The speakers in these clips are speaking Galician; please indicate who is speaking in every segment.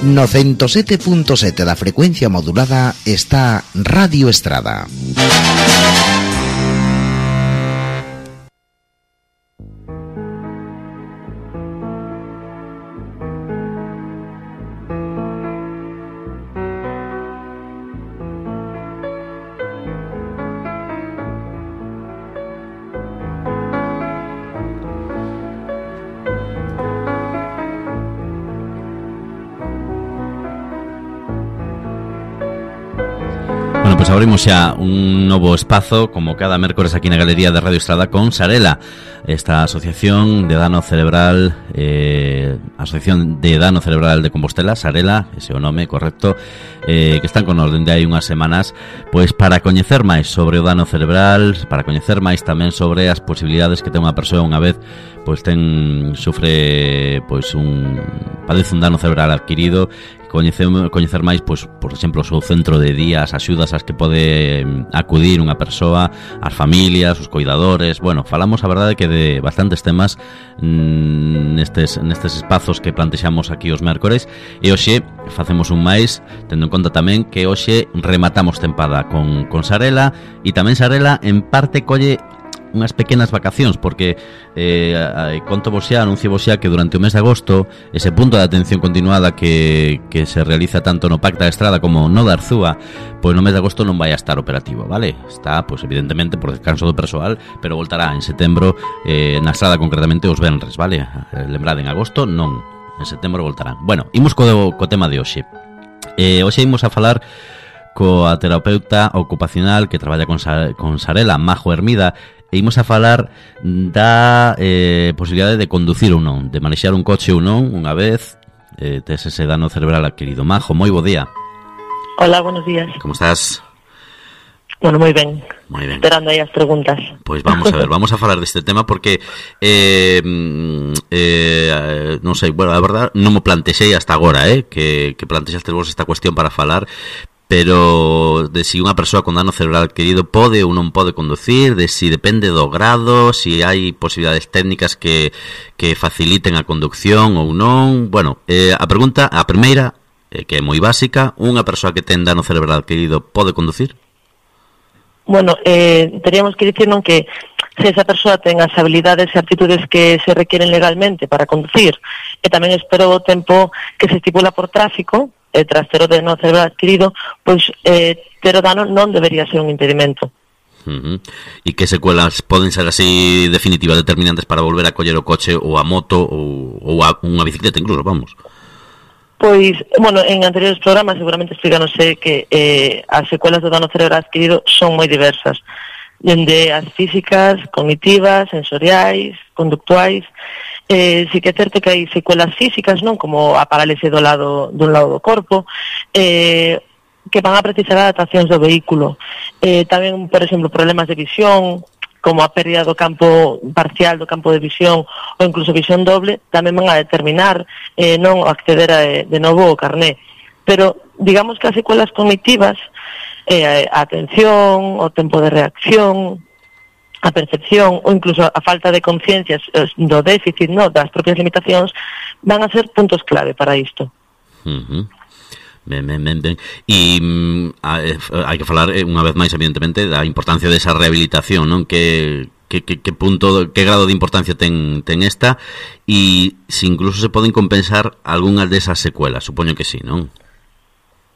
Speaker 1: No 107.7 da frecuencia modulada está Radio Estrada.
Speaker 2: Pois abrimos xa un novo espazo, como cada mércores aquí na Galería de Radio Estrada, con Sarela, esta asociación de dano cerebral, Asociación de Dano Cerebral de Compostela, Sarela, ese é o nome correcto, que están con nos dende hai unhas semanas, pois para coñecer máis sobre o dano cerebral, para coñecer máis tamén sobre as posibilidades que ten unha persoa unha vez pois sufre padece un dano cerebral adquirido. Coñecer máis, pois, por exemplo, o seu centro de día, as axudas ás que pode acudir unha persoa, as familias, os coidadores. Bueno, falamos, a verdade, que de bastantes temas nestes espazos que plantexamos aquí os mércores, e hoxe facemos un máis, tendo en conta tamén que hoxe rematamos tempada con Sarela, e tamén Sarela en parte colle unhas pequenas vacacións, porque anuncio vos xa que durante o mes de agosto ese punto de atención continuada que se realiza tanto no Pacta de Estrada como no da Arzúa, pois no mes de agosto non vai a estar operativo, vale? Está, pois evidentemente, por descanso do persoal, pero voltará en setembro, na Estrada concretamente os venres, vale? Lembrade, en agosto non, en setembro voltarán. Bueno, imos co tema de hoxe. Hoxe imos a falar coa terapeuta ocupacional que traballa con Sarela, Majo Hermida, e imos a falar da posibilidade de conducir ou non, de manexar un coche ou non, unha vez tes ese dano cerebral adquirido. Majo, moi bo día.
Speaker 3: Hola, buenos días.
Speaker 2: Como estás?
Speaker 3: Bueno, moi ben.
Speaker 2: Moi ben.
Speaker 3: Esperando aí as preguntas.
Speaker 2: Pois vamos a ver, vamos a falar deste tema porque non sei, bueno, a verdade non mo plantexei hasta agora, que plantexaste vos esta cuestión para falar, pero de si unha persoa con dano cerebral adquirido pode ou non pode conducir, de si depende do grado, si hai posibilidades técnicas que faciliten a conducción ou non. Bueno, a primeira, que é moi básica, unha persoa que ten dano cerebral adquirido pode conducir?
Speaker 3: Bueno, teríamos que dicir non que se esa persoa ten as habilidades e aptitudes que se requieren legalmente para conducir, e tamén espero o tempo que se estipula por tráfico, tras ter o dano cerebral adquirido, pois ter o dano non debería ser un impedimento.
Speaker 2: E que secuelas poden ser así definitivas, determinantes para volver a coller o coche ou a moto ou a unha bicicleta incluso, vamos?
Speaker 3: Pois, bueno, en anteriores programas seguramente explícanose que as secuelas do dano cerebral adquirido son moi diversas, dende as físicas, cognitivas, sensoriais, conductuais. Sí que é certo que hai secuelas físicas, non, como a parálise dun lado do corpo, que van a precisar adaptacións do vehículo. Tamén, por exemplo, problemas de visión, como a pérdida do campo parcial do campo de visión ou incluso visión doble, tamén van a determinar non acceder de novo ao carné. Pero digamos que as secuelas cognitivas, a atención, o tempo de reacción, a percepción ou incluso a falta de conciencias do déficit, no, das propias limitacións, van a ser puntos clave para isto. Ben. E hai que falar unha vez máis, evidentemente, da importancia desa rehabilitación, non? Que punto, que grado de importancia ten esta, e se incluso se poden compensar algunhas desas secuelas, supoño que sí, non?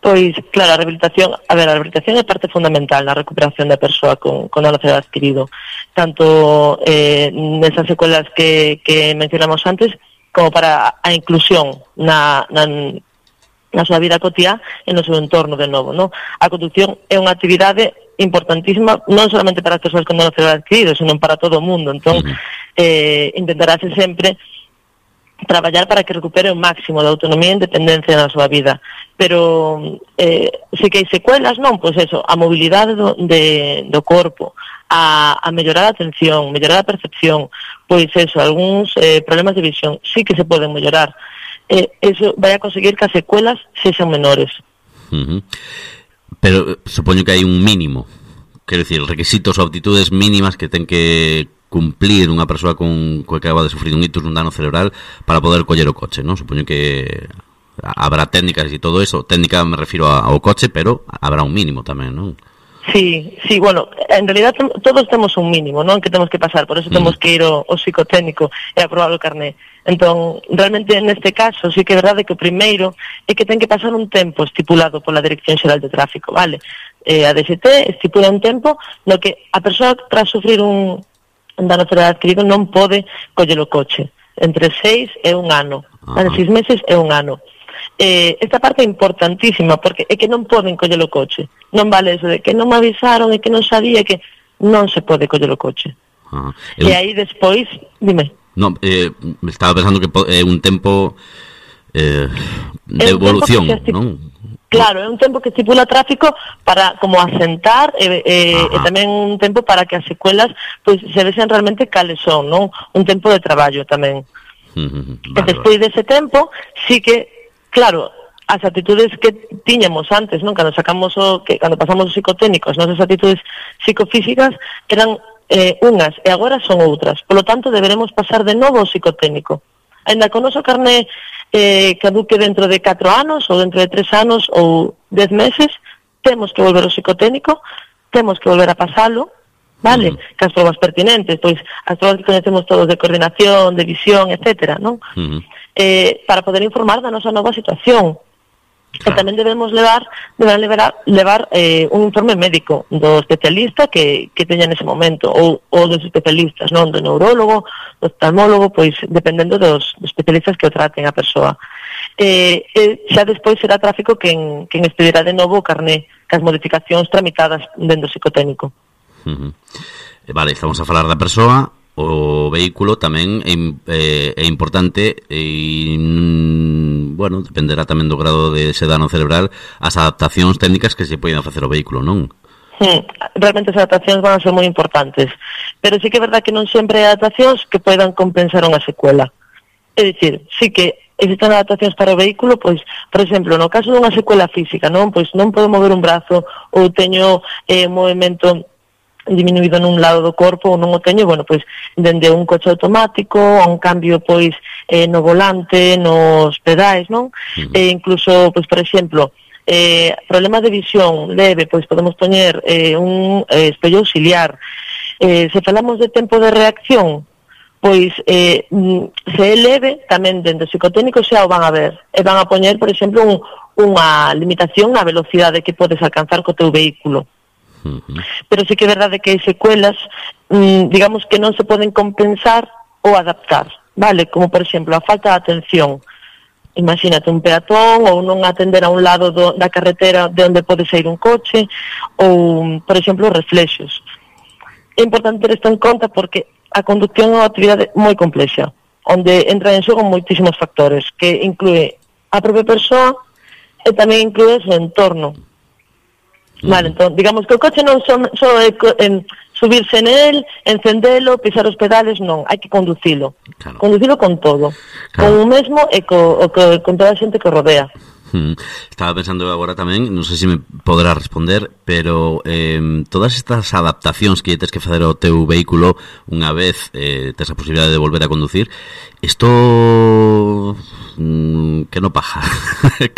Speaker 3: Pois, claro, a rehabilitación é parte fundamental na recuperación da persoa con dano cerebral adquirido, tanto nesas secuelas que mencionamos antes, como para a inclusión na súa vida cotiá e no seu entorno de novo, non? A conducción é unha actividade importantísima non solamente para as persoas con dano cerebral adquirido, senón para todo o mundo. Entón, intentarase sempre traballar para que recupere o máximo de autonomía e independencia na súa vida. Pero se que hai secuelas, non, pois eso, a mobilidade do corpo, a mellorar a atención, mellorar a percepción, pois eso, algúns problemas de visión, sí que se poden mellorar. Eso vai a conseguir que as secuelas sexan menores.
Speaker 2: Pero supoño que hai un mínimo, quero dicir, requisitos ou aptitudes mínimas que ten que cumplir unha persoa que acaba de sufrir un ictus, un dano cerebral, para poder coller o coche, non? Supoño que habrá técnicas e todo eso, técnica me refiro ao coche, pero habrá un mínimo tamén, non?
Speaker 3: Sí, bueno, en realidad todos temos un mínimo, non? Que temos que pasar, por eso temos que ir ao psicotécnico e aprobar o carné. Entón, realmente neste caso, sí que é verdade que o primeiro é que ten que pasar un tempo estipulado pola Dirección Xeral de Tráfico, vale? A DST estipula un tempo no que a persoa tras sufrir un dano cerebral adquirido non pode coller o coche. Entre 6 e 1 ano, vale? 6 meses e 1 ano. Esta parte é importantísima porque é que non poden coller o coche. Non vale eso de que non me avisaron e que non sabía, que non se pode coller o coche. E aí despois, dime.
Speaker 2: Non, estaba pensando que é un tempo de evolución, non?
Speaker 3: Claro, é un tempo que estipula tráfico para como asentar e tamén un tempo para que as secuelas pois se vexan realmente cales son, non? Un tempo de traballo tamén. E despois dese tempo, sí que claro, as actitudes que tiñamos antes, non? Cando pasamos os psicotécnicos, nosas actitudes psicofísicas eran unhas e agora son outras. Por lo tanto, deberemos pasar de novo ao psicotécnico. Ainda que o noso carné caduque dentro de 4 anos ou dentro de 3 anos ou 10 meses, temos que volver ao psicotécnico, temos que volver a pasalo, vale? Que as probas pertinentes, pois as probas que conhecemos todos de coordinación, de visión, etcétera, non? Para poder informar da nosa nova situación. E tamén debemos levar un informe médico do especialista que teña nese momento, ou dos especialistas, non? Do neurólogo, do oftalmólogo, pois dependendo dos especialistas que o traten a persoa. Xa despois será tráfico quen expedirá de novo o carné, cas modificacións tramitadas dentro do psicotécnico.
Speaker 2: Vale, estamos a falar da persoa. O vehículo tamén é importante e, bueno, dependerá tamén do grado de ese dano cerebral as adaptacións técnicas que se poden facer ao vehículo, non?
Speaker 3: Realmente as adaptacións van a ser moi importantes, pero sí que é verdad que non sempre hai adaptacións que poidan compensar unha secuela. É dicir, sí que existen adaptacións para o vehículo, pois, por exemplo, no caso dunha secuela física, non? Pois non podo mover un brazo ou teño movimento diminuído nun lado do corpo ou non o teño, bueno, pois dende un coche automático a un cambio pois no volante, nos pedais, non? Incluso, pois por exemplo, problemas de visión leve, pois podemos poñer un espello auxiliar. Se falamos de tempo de reacción, pois se é leve, tamén dentro do psicotécnico xa o van a ver e van a poñer, por exemplo, unha limitación na velocidade que podes alcanzar co teu vehículo. Pero sí que é verdade que hai secuelas, digamos que non se poden compensar ou adaptar, vale? Como, por exemplo, a falta de atención. Imagínate un peatón ou non atender a un lado da carretera de onde pode sair un coche ou, por exemplo, reflexos. É importante ter isto en conta porque a conducción é unha actividade moi complexa, onde entra en xogo moitísimos factores, que inclúe a propia persoa e tamén inclúe o seu entorno. Vale, entón, digamos que o coche non só é subirse nel, encendelo, pisar os pedales, non, hai que conducilo. Claro. Conducilo con todo, claro. Con o mesmo e con toda a xente que o rodea.
Speaker 2: Estaba pensando agora tamén, non sei se me poderá responder, pero todas estas adaptacións que tens que facer ao teu vehículo unha vez tes a posibilidade de volver a conducir, isto que non paja.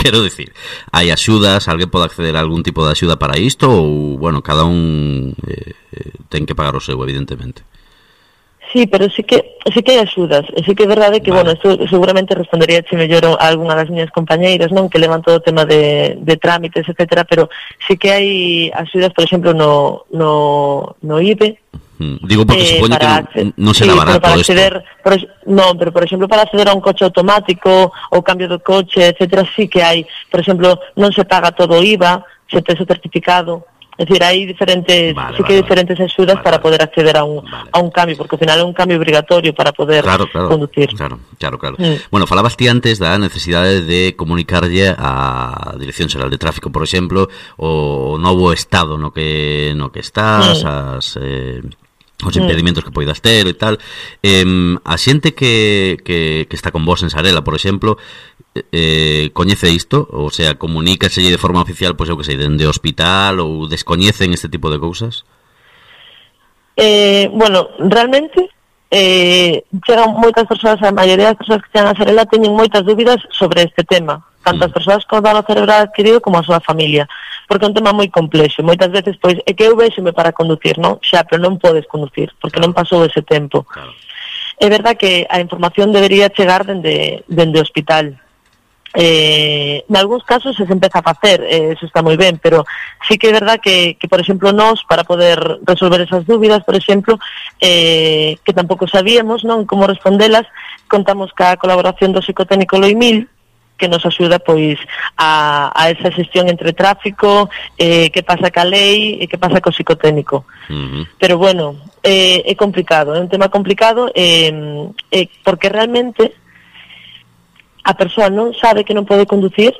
Speaker 2: Quero dicir, hai axudas, alguén pode acceder a algún tipo de axuda para isto ou, bueno, cada un ten que pagar o seu, evidentemente.
Speaker 3: Sí, pero sí que hai axudas, e sí que é verdade que, vale. Bueno, isto seguramente respondería mellor a algunha das miñas compañeiras, non, que levan todo o tema de trámites, etcétera, pero sí que hai axudas, por exemplo, no IBE.
Speaker 2: Digo porque supoño que non será barato isto.
Speaker 3: Non, pero por exemplo, para acceder a un coche automático ou cambio de coche, etcétera, sí que hai, por exemplo, non se paga todo o IVA, se tes o certificado. É dicir, hai diferentes, diferentes axudas para poder acceder a un cambio, porque ao final é un cambio obrigatorio para poder conducir. Claro.
Speaker 2: Bueno, falabas ti antes da necesidade de comunicarlle á Dirección Xeral de Tráfico, por exemplo, o novo estado no que estás, os impedimentos que poidas ter e tal. A xente que está con vos en Sarela, por exemplo, coñece isto? O sea, comunícaselle de forma oficial, pois eu que sei, dende o hospital, ou descoñecen este tipo de cousas?
Speaker 3: Bueno, realmente chegan moitas persoas, a maioría das persoas que chegan a Sarela teñen moitas dúbidas sobre este tema, tanto as persoas con dano cerebral adquirido como a súa familia, porque é un tema moi complexo. Moitas veces, pois, é que eu véxome para conducir, non? Xa, pero non podes conducir, porque non pasou ese tempo. É verdad que a información debería chegar dende o hospital. En algúns casos se empeza a facer, eso está moi ben, pero sí que é verdad que por exemplo, nós, para poder resolver esas dúbidas, por exemplo, que tampouco sabíamos, non, como respondelas, contamos ca colaboración do psicotécnico Loimil, que nos axuda, pois, a esa xestión entre tráfico, que pasa ca lei e que pasa co psicotécnico. Pero bueno, é complicado, é un tema complicado, porque realmente a persoa non sabe que non pode conducir,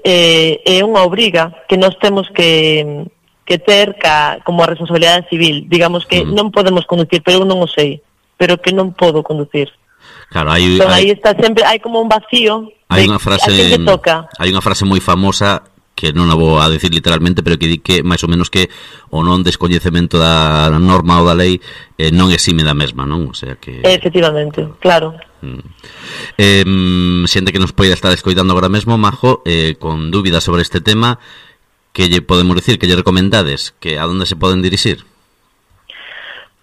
Speaker 3: é unha obriga que nós temos que ter como a responsabilidade civil. Digamos que non podemos conducir, pero eu non o sei, pero que non podo conducir.
Speaker 2: Claro,
Speaker 3: aí está sempre, hai como un vacío.
Speaker 2: Hai unha frase moi famosa que non a vou a decir literalmente, pero que di que máis ou menos que o non descoñecemento da norma ou da lei non exime da mesma, non? O sea que
Speaker 3: efectivamente, claro.
Speaker 2: Xente que nos poida estar escoitando agora mesmo, Majo, con dúbidas sobre este tema, que lle podemos dicir, que lle recomendades, que a onde se poden dirixir?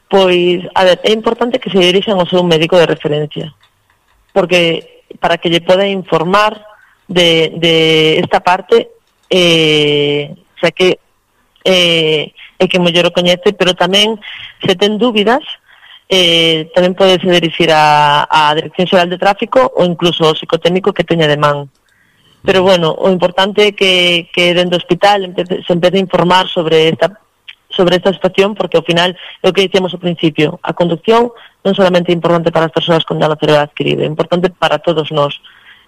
Speaker 3: Pois, a ver, é importante que se dirixan ao seu médico de referencia, porque para que lle poda informar de esta parte, o sea que é que mellor o coñece, pero tamén se ten dúbidas, tamén podese dirixir a Dirección Xeral de Tráfico ou incluso ao psicotécnico que teña de man. Pero bueno, o importante é que dentro do hospital se empece a informar sobre esta situación, porque ao final é o que dicíamos ao principio, a conducción non solamente é importante para as persoas con dano cerebral adquirido, é importante para todos nós.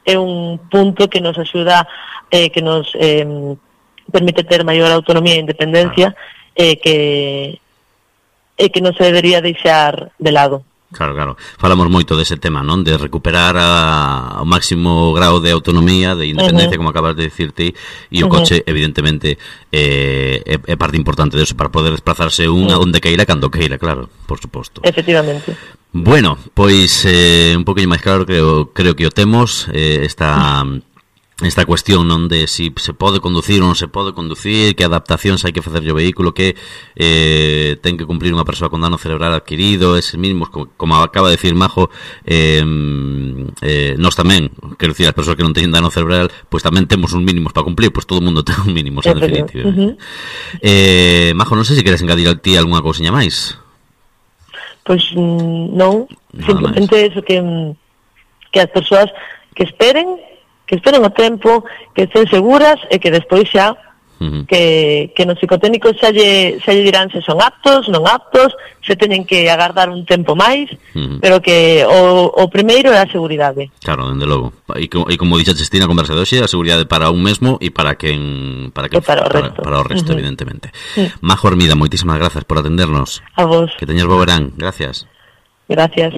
Speaker 3: É un punto que nos axuda, que nos permite ter maior autonomía e independencia, que non se debería deixar de lado.
Speaker 2: Claro. Falamos moito dese tema, non? De recuperar o máximo grau de autonomía, de independencia, como acabas de dicirte, e o coche, evidentemente, é parte importante de eso, para poder desplazarse onde queira, cando queira, claro, por suposto.
Speaker 3: Efectivamente.
Speaker 2: Bueno, pois un poquinho máis claro creo que o temos, esta cuestión, non, de si se pode conducir ou non se pode conducir, que adaptacións hai que facer o vehículo, que ten que cumplir unha persoa con dano cerebral adquirido, eses mínimos, como acaba de decir Majo, nós tamén, quero dicir, as persoas que non teñen dano cerebral, pois tamén temos uns mínimos para cumplir, pois todo o mundo ten uns mínimos, en definitiva. Majo, non sei se queres engadir a ti algunha cousiña máis.
Speaker 3: Pois non, simplemente eso, que as persoas que esperen o tempo, que estén seguras e que despois xa que no psicotécnico xa lle dirán se son aptos, non aptos, se teñen que agardar un tempo máis, pero que o primeiro é a seguridade.
Speaker 2: Claro, dende logo. E como dixaste ti na conversa de hoxe, a seguridade para un mesmo e para o resto, evidentemente. Majo Hermida, moitísimas grazas por atendernos.
Speaker 3: A vos.
Speaker 2: Que teñas bo verán. Gracias.
Speaker 3: Gracias.